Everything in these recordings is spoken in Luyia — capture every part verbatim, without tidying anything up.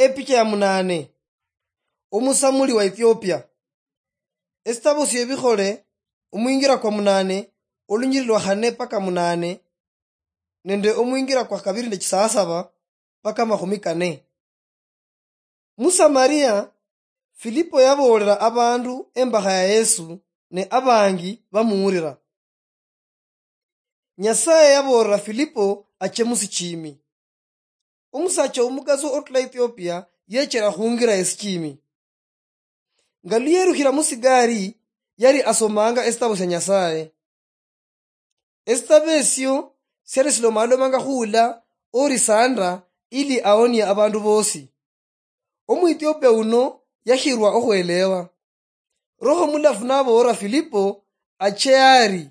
Epicha ya munane. Omusamuli wa Ethiopia. Esitabo syebikhole, omwingira kwa munane, olunyiri lwa khane paka munane, nende omwingira kwa kabiri nde chisasaba paka makhumi kane. Mu Samaria, Filipo yaboolera abandu embakha ya Yesu, ne abangi bamuwulira. Nyasaye yaboolera Filipo ache musichimi. Omusacha omukasi otula Ethiopia yechera khungira esichimi. Nga luyerukhira musigari, yali asomanga esitabo sya Nyasaye. Esitabo esyo syali silomalomanga khuula orisanda ili aonie abandu bosi. Omuethiopia uno yakhirwa okhwelewa. Roho Mulafu naboolera Filipo ache ari.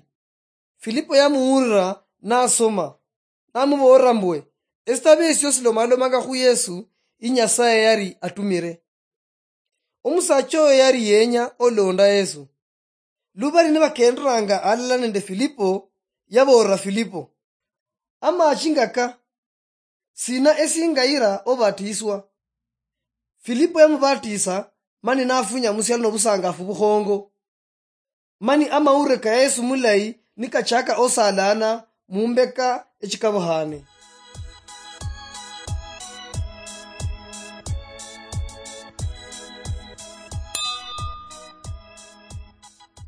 Filipo yamuwulira nasoma, namuboolera mbwe, esitabo esyo silomalomanga khu Yesu, i Nyasaye yali atumire. Omusacha oyo yali yenya olonda Yesu. Lubali nibakenderanga alala nende Filipo, yaboolera Filipo, amachi ngaka, sina esingayira obatiswa? Filipo yamubatisa, mani nafunya musialo nobusangafu bukhongo. Mani amawulire ka Yesu mulayi nikachaka osalana mumbeka echikabukhane.